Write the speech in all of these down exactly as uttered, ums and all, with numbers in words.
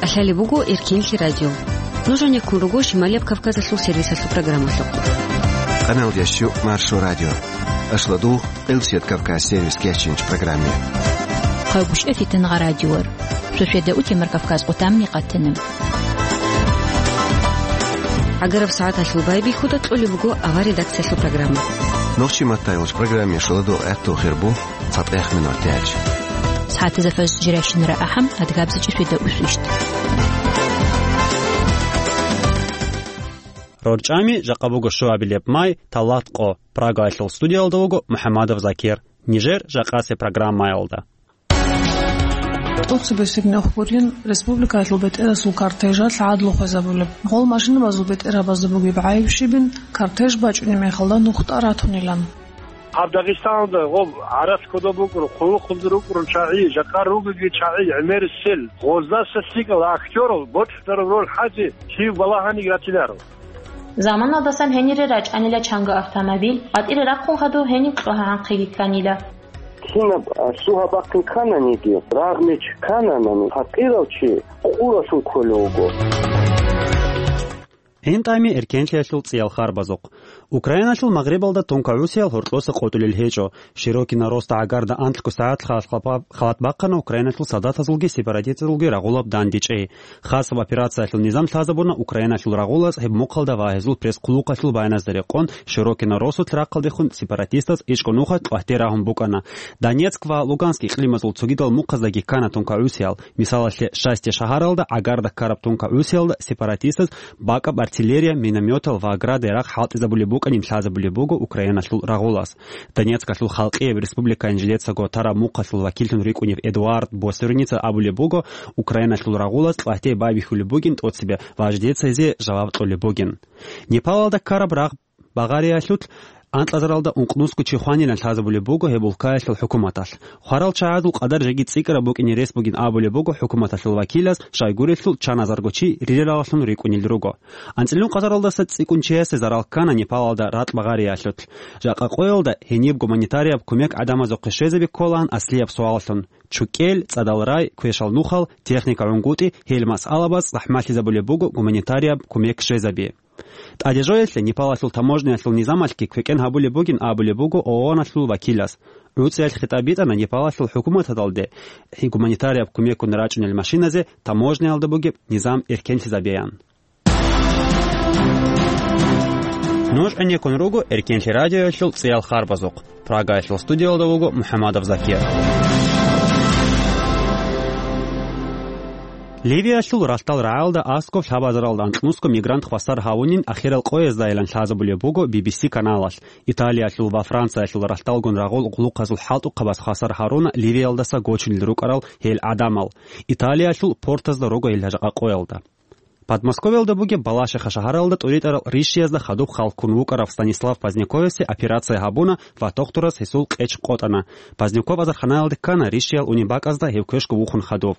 Лъалеб буго Эркенлъи радио. Нуж гьанеккун руго Шималияб Кавказалъул сервисалъул программалъухъ. Къаналдящу Маршо радио. Ашладугъ, Къилсият Кавказ сервис кечинч программе. Хъагушев Фитангъа радиор. Шошеда утемар Кавказ къутамни къатана. ГӀагараб сагӀаталъул байбихьуда кьолеб буго авар редакциялъул программа. Нохчи маттайилч программе шоладо гӀатту хирбу. ЦатӀехъ минуталъ. СагӀатазда фажр жирайщинара ахӀам, адгабзичӀи шведа усвищт. РорчӀами жакъа буго щуабилеб май, талат къо. Прагаялъул студиялда вуго МухӀаммадов Закир. Нижер жакъасеб программаялда. ТӀоцебесеб нух гурин республикаялъул бетӀерасул кортежалъ гӀадлу хвезабулеб. Гъол машинабазул бетӀерабазда бугеб гӀайиб щибин, кортеж бачӀунеб мехалда нухда ратунилан. Гьаб Дагъистаналда гъоб гӀарац кодоб букӀун, хъулухъулда рукӀун чагӀи, жакъа ругеги чагӀи, гӀемерисел, гъоздаса лъикӀал актёрал бокьараб роль хӀазе, кив балагьаниги ратиларо. Заманалдасан гьенире рачӀанила чанга автомобиль, къватӀире рахъун хадув гьениб кьогьагӀанхъиги кканила. Кинаб, а, лъугьа-бахъин ккананиги, рагъ-меч ккананани, пакъирав чи къуралъун кколев вуго. ГӀинтӀами эркенлъиялъул цӀиял харбазухъ. Украиналъул магърибалда тункагӀусиял гьоркьоса къотӀулел гьечӀо. Широкина роста гӀагарда анлъго сагӀат халат бахъана Украиналъул солдатазулги сепаратистазулги рагъулаб дандечӀей. Хасаб операциялъул низам лъазабуна Украиналъул рагъулаз гьеб мухъалда ва гьезул пресс-хъулухъалъул баяназда рекъон, Широкина росулъ рахъалдехун сепаратистаз ичӀго нухалъ къватӀир рагьун букӀана. Донецк ва Луганск икълимазул цогидал мухъаздаги ккана тункагӀусиял. Мисалалъе, Счастье шагьаралда гӀагарда ккараб тункагӀусиялда сепаратистаз бакӀаб артиллерия, минометал ва градарал хӀалтӀизабулеб букӀанин лъазабулеб буго Украиналъул рагъулаз. Донецкалъул халкъияб республикаялъ жидецаго тараб мухъалъул вакиллъун рикӀкӀунев Эдуард Босерница абулеб буго, Украиналъул рагъулаз къватӀир байбихьулеб бугин тӀоцебе ва жидеца гьезие жаваб кьолеб бугин. Непалалда ккараб рагъ Багъариялъулъ анкьазаралда ункънусго чи хванилан лъазабулеб буго гьеб улкаялъул хӀукуматалъ. Хварал чагӀазул къадар жеги цӀикӀкӀараб букӀине рес бугин абулеб буго хӀукуматалъул вакилаз, щайгурелъул чаназарго чи рирараллъун рикӀкӀунел руго. АнцӀила ункъазаралдаса цӀикӀкӀун чиясе зарал ккана Непалалда ракь Багъариялъулъ. Жакъа къоялда гьениб гуманитарияб кумек гӀадамазухъе щвезаби кколаан аслияб суаллъун: чукӀел, цӀадал рай, квешал нухал, техника гӀунгутӀи, гьел масъалабаз захӀмалъизабулеб буго гуманитарияб кумек щвезаби. ТӀаде жоялъе Непалалъул таможниялъул низамалъги квекӀен гьабулеб бугин абулеб буго ООНалъул вакилас. ГӀуцӀиялъ хитӀаб битӀана Непалалъул хӀукуматалде гуманитарияб кумекгун рачӀунел машиназе таможниялда бугеб низам эркенлъизабеян. Нуж гӀенеккун руго Эркенлъи радиоялъул цӀиял харбазухъ. Прагаялъул студиялда вуго МухӀаммадов Закир. Ливиялъул ралъдал рагӀалда аскӀоб лъабазаралда анкьнусго мигрант хвасар гьавунин ахирал къояздайилан лъазабулеб буго Би Би Си каналалъ. Италиялъул ва Франциялъул ралъдалгун рагъул гъулухъазул хӀалтӀухъабаз хвасар гьаруна Ливиялдаса гочунел рукӀарал гьел гӀадамал. Италиялъул портазда руго гьел жакъа къоялда. Подмосковьялда бугеб Балашиха шагьаралда тӀуритӀарал рищиязда хадуб хал ккун вукӀарав Станислав Поздняковасе операция гьабуна ва тухтурас гьесул къеч къотӀана. Поздняков азарханаялде ккана рищиял унеб бакӀазда гьев квешго вухун хадув.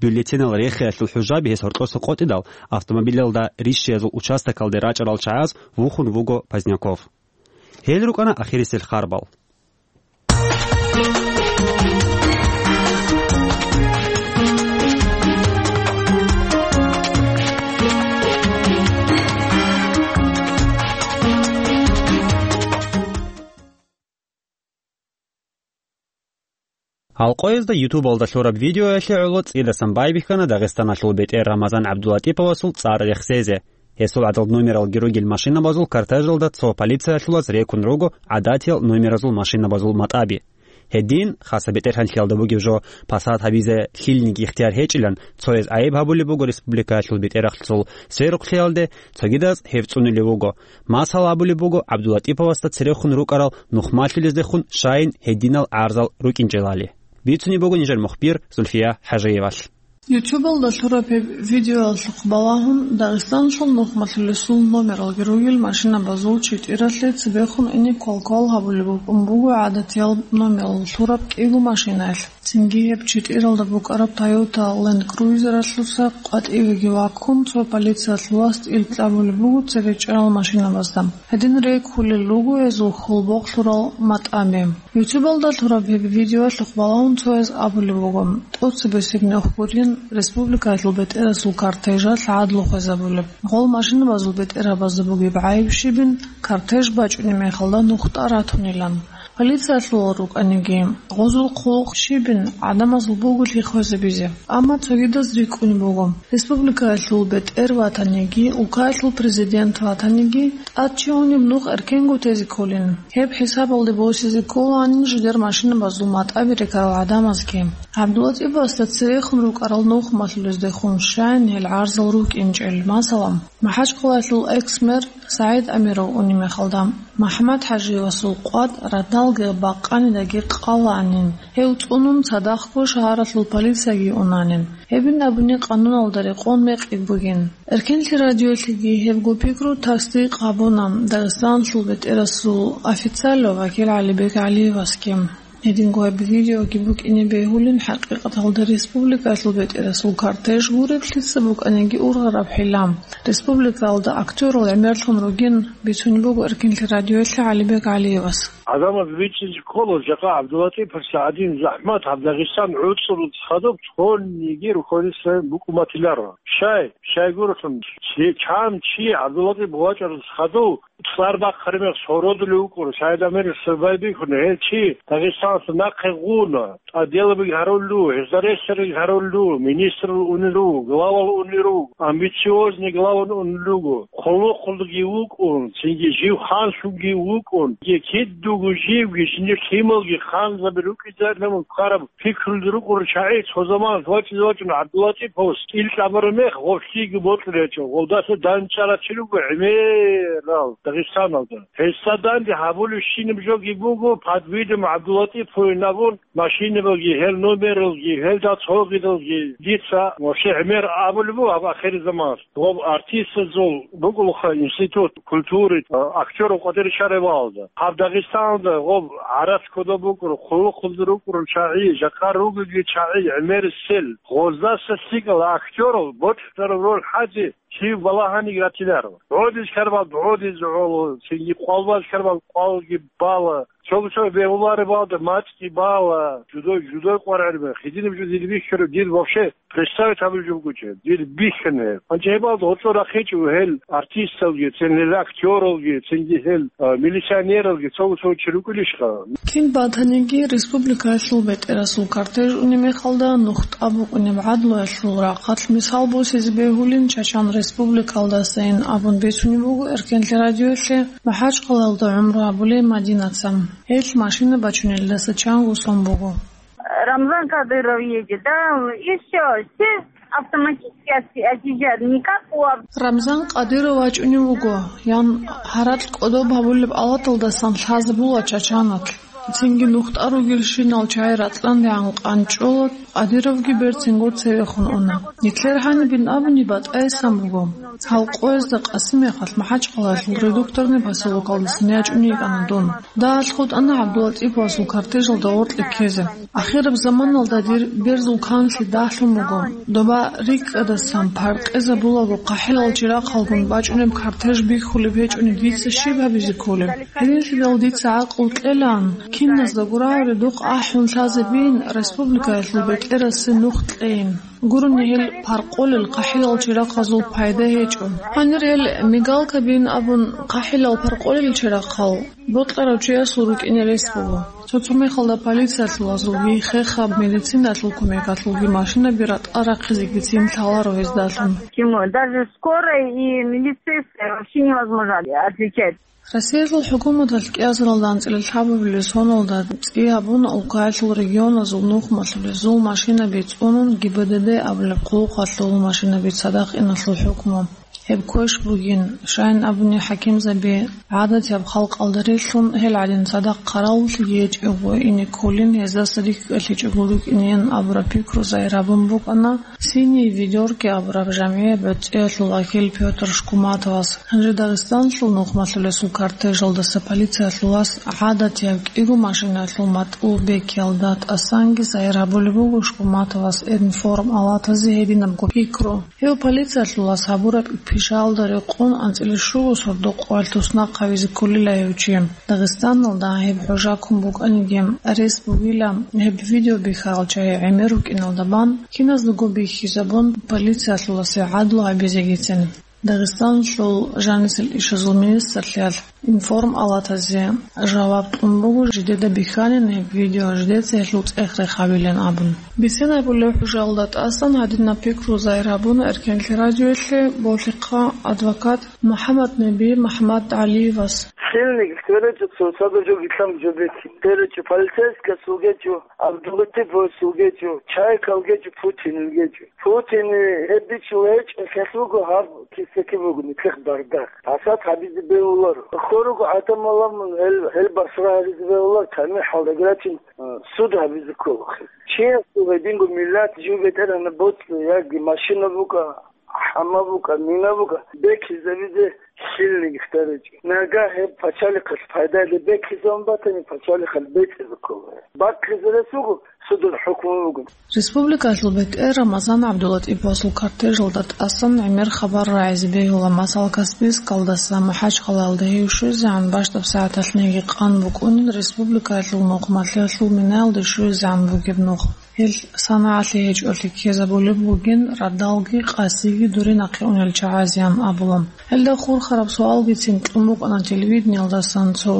Бюллетенал рехиялъул хӀужаби гьес гьоркьоса къотӀидал, автомобилялда рищиязул участокалде рачӀарал чагӀаз вухун вуго Поздняков. Гьел рукӀана ахирисел харбал. Алкъоязда ютубалда лъураб видеоялъе гӀоло цӀидасан байбихьана Дагъистаналъул бетӀер Рамазан ГӀабдулатӀиповасул цӀар рехсезе. Гьесул гӀадал номералги ругел машинабазул кортежалда цо полициялъулаз рекун руго гӀадатиял номеразул машинабазул матӀаби. Гьедин, хасаб бетӀергьанлъиялда бугеб жо пасат гьабизе лъилниги ихтияр гьечӀилан, цояз гӀайиб гьабулеб буго республикаялъул бетӀерахълъул сверухълъиялде, цогидаз гьеб цӀунулев вуго. Масал абулеб буго ГӀабдулатӀиповасда церехун рукӀарал нухмалъулездехун щайин гьединал гӀарзал рукӀинчӀелали. Бицунеб буго нижер мухбир Зульфия ХӀажиевалъ. Ютубалда лъураб гьеб видеоялъухъ балагьун, Дагъистаналъул нухмалъулесул номералги ругел машинабазул читӀиралъе цебехун ине квалквал гьабулеб букӀун буго гӀадатиял номерал лъураб кӀиго машинаялъ. Цинги гьеб читӀиралда букӀараб Toyota Land Cruiser-алъуса къватӀивеги ваккун, цо полициялъулас тӀил кьабулеб буго цебе чӀарал машинабазда. Гьедин рекӀкӀулел руго гьезул хьул-бокълъурал матӀаби. Ютубалда лъураб гьеб видеоялъухъ балагьун цояз абулеб буго, тӀоцебесеб нух гурин республикаялъул бетӀерасул кортежалъ гӀадлу хвезабулеб. Гъол машинабазул бетӀерабазда бугеб гӀайиб щибин, кортеж бачӀунеб мехалда нух тӀаратунилан. Полициялъул рукӀаниги, гъозул хъулухъ щибин гӀадамазул бугелъи хвезабизе. Амма цогидаз рикӀкӀунеб буго, республикаялъул бетӀер ватаниги, улкаялъул президент ватаниги, тӀад чи унеб нух эркенго тезе кколин. Гьеб хӀисабалде босизе кколаанин жидер машинабазул матӀаби рекарал гӀадамазги. ГӀабдулатӀибасда церехун рукӀарал нухмалъулездехун щайин гьел гӀарзал рукӀинчӀел, масала, МахӀачхъалаялъул экс-мэр СагӀид Амиров унеб мехалда, МахӀмад-ХӀажиевасул къватӀ радалги бакъанидаги къалаанин, гьев цӀунун цадахъго шагьаралъул полицияги унанин. Гьебин абуни къануналда рекъон мекъи бугин. Эркенлъи радиоялъеги гьебго пикру тасдикъ гьабуна Дагъистаналъул бетӀерасул официалав вакил ГӀалибек ГӀалиевасги. Гьединго гьеб видеоги букӀине бегьулин хӀакъикъаталда республикаялъул бетӀерасул кортеж гуреб лъица букӀаниги ургъараб хӀилла. Республикаялда актёрал гӀемерлъун ругин бицунеб буго Эркенлъи радиоялъе ГӀалибек ГӀалиевас. ГӀадамаз бичӀчӀизе ккола, жакъа ГӀабдулатӀиповасда гӀадин захӀмат гьаб Дагъистан гӀуцӀрулъ хадуб цониги рухьулесда букӀун батиларо. Щай, щайгурелъул, чи, чан чи ГӀабдулатӀипов вачӀаралъ хадув, цӀар бахъараб мех сородулев вукӀур, СагӀид Амиров свербай бихьун, гьел чи Дагъистаналъ нахъе гъуна, тӀаделаби гьарулев, гьезда ресерги гьарулев, министрал унел руго, главал унел руго, амбициозный главал унел руго, хъулухъулги вукӀун, цинги жив ханлъунги вукӀун, кидуго живги, жиндир лъималги ханзаби рукӀизарилан ккараб пикрулги рукӀурал чагӀи цо заманалъ вачӀине вачӀун ГӀабдулатӀиповас кӀил кьабараб мех гъорлъиги бокьулев гьечӀо, гъолдаса данчӀарав чи руго гӀемерал Дагъистаналда. Гьесда данде гьабулебщинаб жоги буго, подвидом ГӀабдулатӀиповин абун, машинабаги, гьел номералги, гьелда цогидалги дица вообще гӀемер абулеб буго гьаб ахирзаманалъ. Гъоб артистазул бугелха институт культуры, а, актёров къватӀире щвараб балагьалда. Гьаб Дагъистаналда гъоб гӀарац кодоб букӀур, хъулухъулда рукӀурал чагӀи, жакъа ругелги чагӀи, гӀемерисел, гъоздаса лъикӀал актёрал бокьараб роль хӀазе чи балагьаниги ратиларо. ДугӀодиз ккарабал дугӀодизе гӀоло, цинги къвалбаз ккарабал къвалги бала. Цо-цо бегьуларебалда мацӀги бала, жудой, жудой къваригӀараб, гьединаб жо дир бихьараб, дир вообще представить гьабулеб жо бугечӀеб, дир бихьана гьеб. Гьанже гьебалда гьоркьор рахъичӀо гьел артисталги, цин гьел актёралги, цинги гьел, а, милиционералги, цо-цо чи рукӀунищха? Кин батаниги, республикаялъул бетӀерасул кортеж унеб мехалда нух тӀабукъунеб гӀадлуялъул рахъалъ мисал босизе бегьулин Чачан республикалдасайин абун бицунеб буго Эркенлъи радиоялъе МахӀачхъалаялда гӀумру гьабулей Мадинаца. Гьелъ машина бачунелдаса чанго сон буго. Рамзан Кадыров едет, да, и всё, все автоматически отъезжают, никак у Аб- Рамзан Кадыров вачӀунев вуго, ян гьаракь кӀодоб гьабулеб алаталдасан лъазабула Чачаналъ. Цинги нухтӀа ругелщинал чагӀи рацӀцӀандегӀан къанчӀола, Кадыровги берцинго цевехун уна. Нилъер гьанибин абуни батӀаясан буго. Гьал къоязда къасимехалъ МахӀачхъалаялъул Редукторный поселокалдасан ячӀун йикӀана дун. Дагьалъ хутӀана ГӀабдулатӀиповасул кортежалда гъоркье ккезе. Ахираб заманалда дир берзул канлъи дагьлъун буго. Доба рикӀкӀадасан паркъезабулаго хъахӀилал чирахъалгун бачӀунеб кортеж бихьулеб гьечӀони дица щиб гьабизе кколеб? Гьединлъидал дица гӀакълу кьелаан, киназда гурагӀури духъ ахӀун лъазабиин республикаялъул бетӀерасе нух кьейин. Гурони гьел паркъолел хъахӀилал чирахъазул пайда гьечӀо. Гьанир гьел мигалкабиин абун хъахӀилал паркъолел чирахъал бокьарав чиясул рукӀине рес буго. Цо-цо мехалда полициялъулазулги, хехаб медициналъул кумекалъулги машинаби ратӀа рахъизеги цин лъаларо гьездалъун. Почему? Даже скорой и милицейской вообще невозможно отличать. Россиялъул хӀукуматалъ кӀиазаралда анцӀила лъабабилеб соналда цӀи гьабуна улкаялъул регионазул нухмалъулезул машинаби цӀунун ГИБДД абулеб хъулухъалъул машинаби цадахъ иналъул хӀукму. Гьеб квеш бугин, щайин абуни хӀакимзаби гӀадатияб халкъалда релълъун гьел гӀадин цадахъ хъаравуллъиги гьечӀого ине кколин, гьездаса рикӀкӀалъичӀого рукӀинеян абураб пикру загьир гьабун букӀана Синие ведёрки абураб жамгӀияб гӀуцӀиялъул вакил Пётр Шкуматовас. Гьанже Дагъистаналъул нухмалъулесул кортежалдаса полициялъулас гӀадатияб кӀиго машинаялъул матӀул бекиялда тӀасанги загьир гьабулеб буго Шкуматовас Информ алатазе гьединабго пикру. Гьев полициялъулас гьабураб Ишалда рекъон анцӀила щуго сордо къоялъ туснахъ гьавизе кколила гьев чи. Дагъистаналда гьеб хӀужа ккун букӀаниги, рес бугила гьеб видео бихьарал чагӀи гӀемер рукӀиналда бан, киназдаго бихьизабун, полициялъуласе гӀадлу гьабизегицин. Дагъистаналъул жанисел ишазул министрлъиялъ информпалатазе жаваб кьун буго, жидеда бихьанин гьеб видео, жидеца гьелъул цӀех-рех гьабилин абун. Бицен гьабулеб хӀужалда тӀасан гьадинаб пикру загьир гьабуна Эркенлъи радиоялъе болъихъа адвокат МухӀаммаднеби МухӀаммадгӀалиевас. Сильный, кто речет, что саго жо гитлам жо беки. Кто речет, полицейская сугечу, Абдулатипов сугечу, Чайкал гечу, Путин гечу. Путин гьеб бичӀчӀулеб гьечӀеб, хелъ буго гьаб кисеки буго, нилъехъ бардахъ. Асад гьабизе бегьуларо. Хьоруго гӀадамал ламун гьел, гьел басра гьаризе бегьуларо, тамихӀалда грачин, э, суд гьабизе ккола. Чиясул гьединго миллат жив бетӀергьанаб боцӀи, яги машина букӀа, хӀама букӀа, мина букӀа, бекизабизе сильный гьаричӀо. Нагагь гьеб пачалихъалъ пайдалъе бекизабун батани, пачалихъалъ бецӀизе ккола. Баккизе рес буго, судул хӀукму буго. Республикалъул бетӀер Рамазан ГӀабдулатӀиповасул кортежалда тӀасан гӀемер хабар рагӀизе бегьула, масала, Каспийскалдаса МахӀачхъалаялда гьев щвезегӀан бащдаб сагӀаталъниги къан букӀунин республикалъул нухмалъиялъул минаялде щвезегӀан бугеб нух. Гьел санагӀалъи гьечӀолъи ккезабулеб бугин радалги къасиги дурин нахъе унел чагӀазеян абула. Гьелда хурхараб суалгицин кьун букӀана телевидениялдасан цо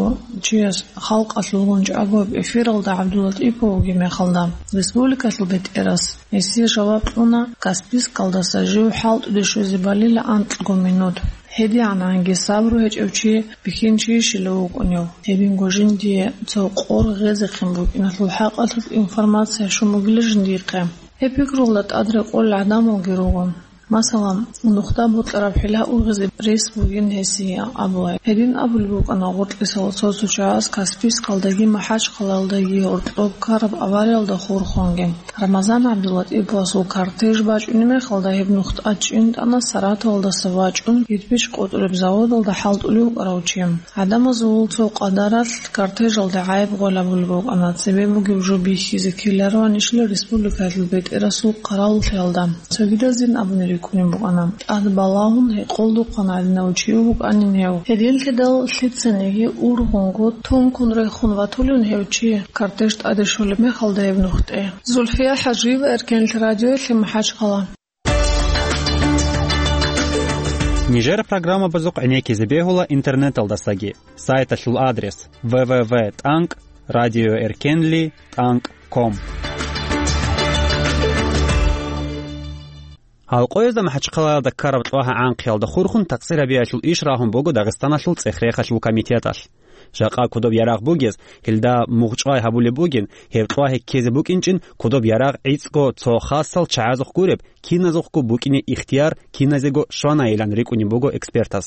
чияс, халкъалъулгун чӀаго эфиралда ГӀабдулатӀипов вугеб мехалда. Республикалъул бетӀерас гьесие жаваб кьуна, Каспийскалдаса жив хӀалтӀуде щвезе балила анкьго минут. ГьедигӀананги сабру гьечӀев чи бихьинчийищила вукӀунев? Гьединго жиндие цо къор гъезехъин букӀиналъул хӀакъалъулъ информация щун бугила жиндихъе. Гьеб пикруялда тӀад рекъолел гӀадамалги руго. Масала, нухда бокьараб хӀила ургъизе рес бугин гьесие абула. Гьедин абулеб букӀана гъоркьисал цо-цо чагӀаз Каспийскалдаги МахӀачхъалаялдаги гьоркьоб ккараб авариялда хурхунги. Рамазан ГӀабдулатӀиповасул кортеж бачӀунеб мехалда гьеб нух тӀадчӀин тӀана Саратовалдаса вачӀун кирпич къотӀулеб заводалда хӀалтӀулев вукӀарав чи. ГӀадамазул цо къадаралъ кортежалде гӀайиб гъолеб бугеб букӀана, цебе бугеб жо бихьизе ккелароанищила республикалъул бетӀерасул къаралулъиялда. Цогидазин абуни рикӀкӀунеб букӀана, тӀад балагьун гьекъолдухъан гӀадинав чи вукӀанин гьев. Гьединлъидал лъицаниги ургъунго тункун рехун ватулин гьев чи, кортеж тӀаде щолеб мехалда гьеб нухде. Зульфия ХӀажиева, Эркенлъи радиоялъе, МахӀачхъала. Нижер программабазухъ гӀенеккизе бегьула интернеталдасаги. Сайталъул адрес: дабл ю дабл ю дабл ю точка радиоэркенли точка ком. Гьалкъоязда МахӀачхъалаялда ккараб кьвагьа гӀанхъиялда хурхун такъсир гьабиялъул иш рагьун буго Дагъистаналъул цӀех-рехалъул комитеталъ. Жакъа кодоб ярагъ бугез, гьелда мугъчӀвай гьабулеб бугин, гьеб кьвагьи ккезе букӀинчӀин кодоб ярагъ гӀицӀго цо хасал чагӀазухъ гуреб, киназухъго букӀине ихтияр киназего щванайилан рикӀкӀунеб буго экспертас.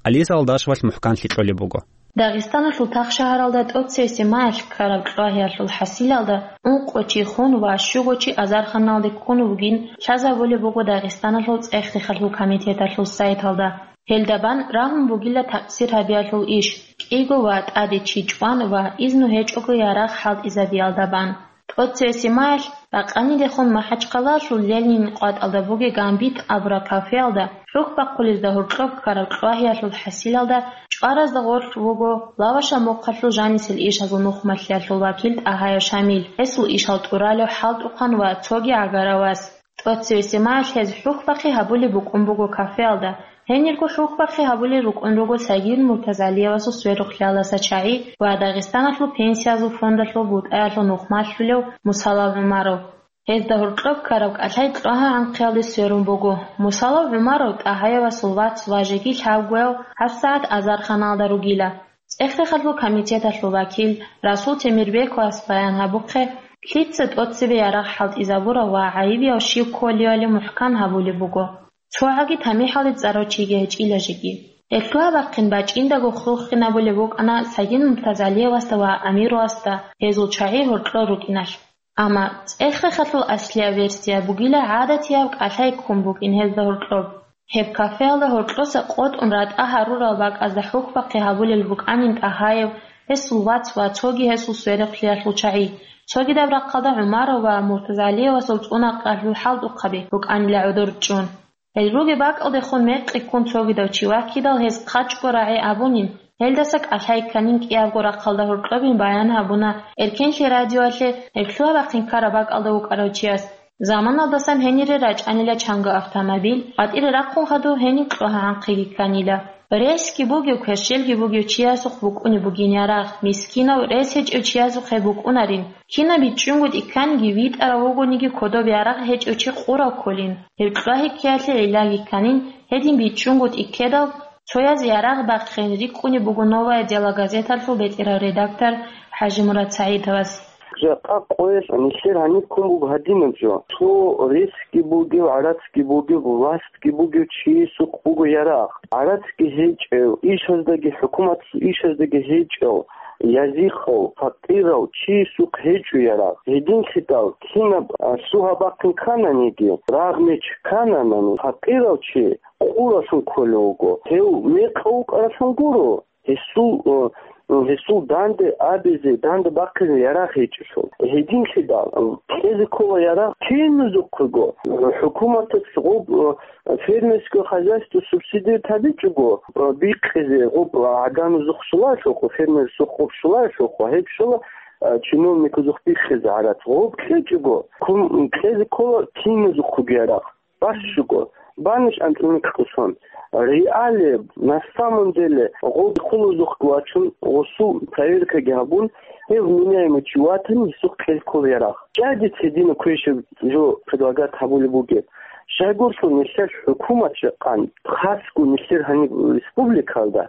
Алиса Алдашевалъ мухӀканлъи кьолеб буго. Дагъистаналъул тах шагьаралда тӀоцевесеб маялъ ккараб кьвагьиялъул хӀасилалда ункъо чи хун ва щуго чи азарханалде ккун вугин лъазабулеб буго Дагъистаналъул цӀех-рехалъул комитеталъул сайталда. Гьелда бан рагьун бугила такъсир гьабиялъул иш, кӀиго ва тӀаде чи чӀван ва изну гьечӀого ярагъ хӀалтӀизабиялда бан. ТӀоцевесеб маялъ бакъанидехун МахӀачхъалаялъул Ленинил къватӀалда бугеб «Гамбит» абураб кафеялда хӀухьбахъулезда гьоркьоб ккараб кьвагьиялъул хӀасилалда чӀваразда гъорлъ вуго Лавашал мухъалъул жанисел ишазул нухмалъиялъул вакил ТӀагьаев Шамил, гьесул ишал тӀуралев ХӀалтӀухъан ва цоги гӀагара вас. ТӀоцевесеб маялъ гьез хӀухьбахъи гьабулеб букӀун буго кафеялда. Гьенирго хӀухьбахъи гьабулел рукӀун руго Сагин Муртазалиевасул сверухълъиялдаса чагӀи ва Дагъистаналъул пенсиязул фондалъул бутӀаялъул нухмалъулев Мусалав ГӀумаров. Гьезда гьоркьоб ккараб кӀалъай кьвагьа гӀанхъиялде сверун буго. Мусалав ГӀумаров ТӀагьаевасул вац ва жеги лъабгояв гьабсагӀат азарханалда ругила. ЦӀех-рехалъул комитеталъул вакил Расул Темирбековас баян гьабухъе, лъица тӀоцебе ярагъ хӀалтӀизабурав ва гӀайибияв щив кколевали мухӀкан гьабулеб буго. Цо гьаги тамихӀалде цӀарав чиги гьечӀила жеги. Гьелъул гьабахъин бачӀиндаго хурхинабулеб букӀана Сагин Муртазалиевасда ва Амировасда гьезул чагӀи гьоркьор рукӀиналъ. Амма цӀех-рехалъул аслияб версия бугила гӀадатияб кӀалъай ккун букӀин гьезда гьоркьоб. Гьеб кафеялда гьоркьоса къотӀун ратӀа гьарурал бакӀазда хӀухьбахъи гьабулел рукӀанин ТӀагьаев, гьесул вац ва цоги гьесул сверухълъиялъул чагӀи, цогидаб рахъалда ГӀумаров ва Муртазалиевасул цӀунахъалъул хӀалтӀухъаби рукӀанила гӀодор чӀун. Гьел ругеб бакӀалдехун мекъи ккун цогидав чи ваккидал гьез хъачӀго рагӀи абунин, гьелдаса кӀалъай кканин кӀиябго рахъалда гьоркьобин баян гьабуна Эркенлъи радиоялъе гьеб лъугьа-бахъин ккараб бакӀалда вукӀарав чияс. Заманалдасан гьенире рачӀанила чанго автомобиль, къватӀире рахъун хадув гьениб кьогьагӀанхъиги кканила. Ресги бугев, кверщелги бугев чиясухъ букӀунеб бугин ярагъ, мискинав, рес гьечӀев чиясухъе букӀунарин. Кинаб бичӀчӀунго тӀикканиги витӀарав вугониги кодоб ярагъ гьечӀев чи къурав кколин. Гьеб кьогьи ккеялъе гӀиллаги кканин, гьедин бичӀчӀунго тӀиккедал, цояз ярагъ бахъин рикӀкӀунеб буго «Новое дело» газеталъул бетӀерав редактор ХӀажимурад СагӀидовас. Жакъа къоялъ нилъер гьаниб ккун буго гьадинаб жо. Цо ресги бугев, гӀарацги бугев, властги бугев чиясухъ буго ярагъ. ГӀарацги гьечӀев, ишаздаги, хӀукуматалъул ишаздаги гьечӀев, язихъав, факъирав чиясухъ гьечӀо ярагъ. Гьединлъидал кинаб, а, лъугьа-бахъин ккананиги, рагъ-меч ккананани, факъирав чи къуралъун кколев вуго. Гьев мекъав вукӀаралъун гуро. Гьесул, э, гьесул данде абизе, данде бахъизе ярагъ гьечӀелъул. Гьединлъидал, э, кьезе ккола ярагъ киназухъего. ХӀукуматалъ гъоб, э, фермерское хозяйство субсидировать гьабичӀого, э, бихъизе гъоб, э, гӀаганазухъ щулаялъухъ, фермерзухъ гъоб щулаялъухъ, гьеб щола, э, чиновниказухъ бихъизе гӀарац. Гъоб кьечӀого, кум-, кьезе ккола киназухъего ярагъ. Бащуго, баниш анцӀила микьго сон. Реалияб, на самом деле, гъоб хъулузухъ вачун, гъосул проверкаги гьабун, гьев вменяемый чи ватани, гьесухъ кьел ккола ярагъ. Жагьилица гьединаб квешаб жо предлагать гьабулеб бугеб. Щайгурелъул нилъер хӀукумат жакъа, хасго нилъер гьаниб республикалда,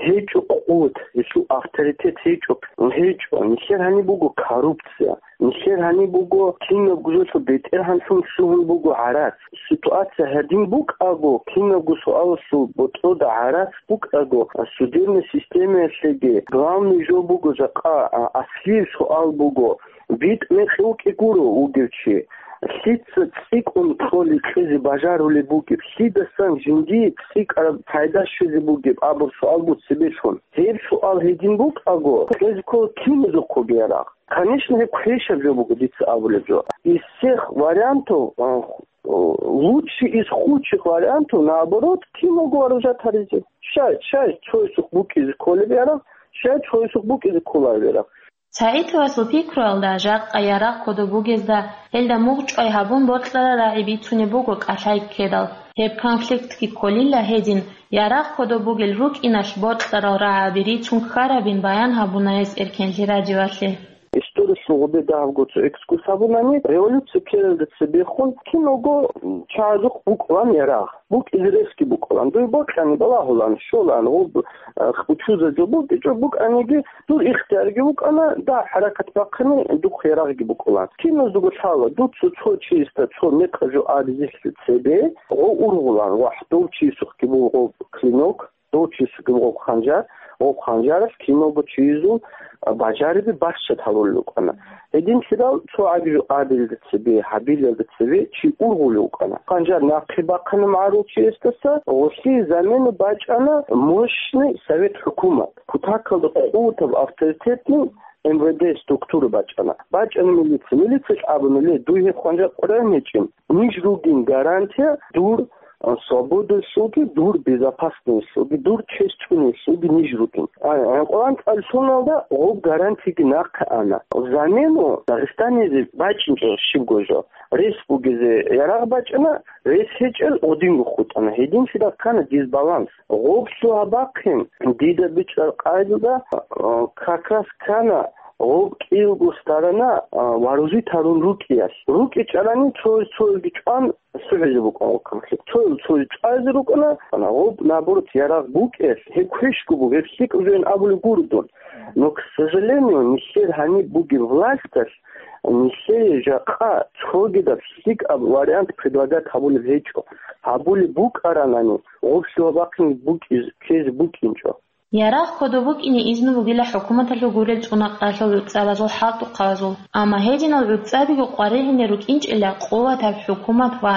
гьечӀо къуват, гьелъул авторитет гьечӀо, гьечӀо. Нилъер гьаниб буго коррупция. Нилъер гьаниб буго, кинабго жоялъул бетӀергьанлъун лъугьун буго гӀарац. Ситуация гьадин букӀаго, кинабго суалалъул ботӀрода гӀарац букӀаго, судебный системаялъеги главный жо буго жакъа, а, аслияб суал буго, битӀ мекъи вукӀи гуро вугев чи. Лъица цӀикӀкӀун кьолеб кьезе бажарулеб бугеб, лъидасан жиндие цӀикӀкӀараб пайда щвезе бугеб абураб суал буго цебелъун. Гьеб суал гьедин букӀаго, кьезе ккола киназухъего ярагъ. Конечно, гьеб квешаб жо буго дица абулеб жо. Из всех вариантов, а, лучший из худших вариантов, наоборот, киного вооружать гьаризе. Щай, щай цоясухъ букӀизе кколеб ярагъ, щай цоясухъ букӀизе кколареб ярагъ. СагӀидовасул пикруялда, жакъа ярагъ кодоб бугезда, гьелда мугъчӀвай гьабун бокьарал рагӀи бицунеб буго кӀалъай ккедал. Гьеб конфликтги кколила гьедин, ярагъ кодоб бугел рукӀиналъ бокьарал рагӀаби рицун ккарабин баян гьабуна гьес Эркенлъи радиоялъе. Историялъул гъубе дагьабго цо экскурс гьабунани, революция ккелалда цебехун киного чагӀазухъ букӀулан ярагъ, букӀизе ресги букӀулан. Дуе бокьани балагьулан, щолан, гъуб, а, хбучуза жо букӀичӀо букӀаниги, дур ихтиярги букӀана, дагь хӀаракат бахъани духъ ярагъги букӀулан. Киназдаго лъала, дуца цо чиясда цо мекъаб жо абизелъул цебе, гъов ургъулан, вагь, дов чиясухъги буго гъов клинок, дов чиясухъги буго гъов ханжар, гъов ханжаралъ киналго чиясул, а, бажариби бащад гьарулел рукӀана. Гьединлъидал цо гӀаги жо абилелда цебе, гьабилелда цебе чи ургъулев вукӀана. Ханжар нахъе бахъана магӀарул чиясдаса, гъолъие замену бачӀана мощный совет хӀукумат. Кутакалда къуватаб авторитетный МВД структура бачӀана. БачӀана милиция. Милициялъ абуна: «Ле, дуе гьеб ханжар къваригӀун гьечӀин. Ниж ругин гарантия дур, а, свободалъулги, дур безопасносталъулги, дур честь чӀунелъулги ниж ругин». А, а, къваригӀун цӀалулелда гъоб гарантияги нахъе ана. Взамену Дагъистанизе бачӀинчӀо щибго жо. Рес бугезе ярагъ бачӀана, рес гьечӀел гъодинго хутӀана. Гьединлъидал ккана дисбаланс. Гъоблъу гьабахъин, дида бичӀчӀараб къайдада, а, как раз ккана гъоб кӀиялго сторона, а, вооружить гьарун рукӀиялъ. РукӀичӀарани цояз цоясги чӀван сухӀизе букӀун вукӀана. Цояз цояз чӀвазе рукӀана, гъоб, наоборот, ярагъ букӀиялъ, гьеб квешго буго, гьеб лъикӀаб жоян абулеб гуро дун. Но, к сожалению, нилъер гьаниб бугеб власталъ нилъее жакъа цогидаб лъикӀаб вариант предлагать гьабулеб гьечӀо. Гьабулеб букӀаранани, гъоблъу гьабахъин букӀиз-, ккезе букӀинчӀо. Ярагъ кодоб букӀине изну бугила хӀукуматалъул гурел цӀунакъаралъул гӀуцӀабазул хӀалтӀухъабазул, амма гьединал гӀуцӀабиго къваригӀине рукӀинчӀила къуватаб хӀукумат ва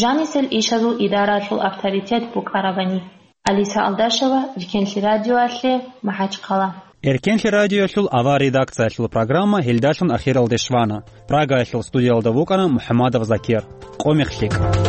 жанисел ишазул идараялъул авторитет букӀарабани. Алиса Алдашева, Эркенлъи радиоялъе, МахӀачхъала. Эркенлъи радиоялъул авар редакциялъул программа гьелдалъун ахиралде щвана. Прагаялъул студиялда вукӀана МухӀамадов Закир. Къо мех лъикӀ.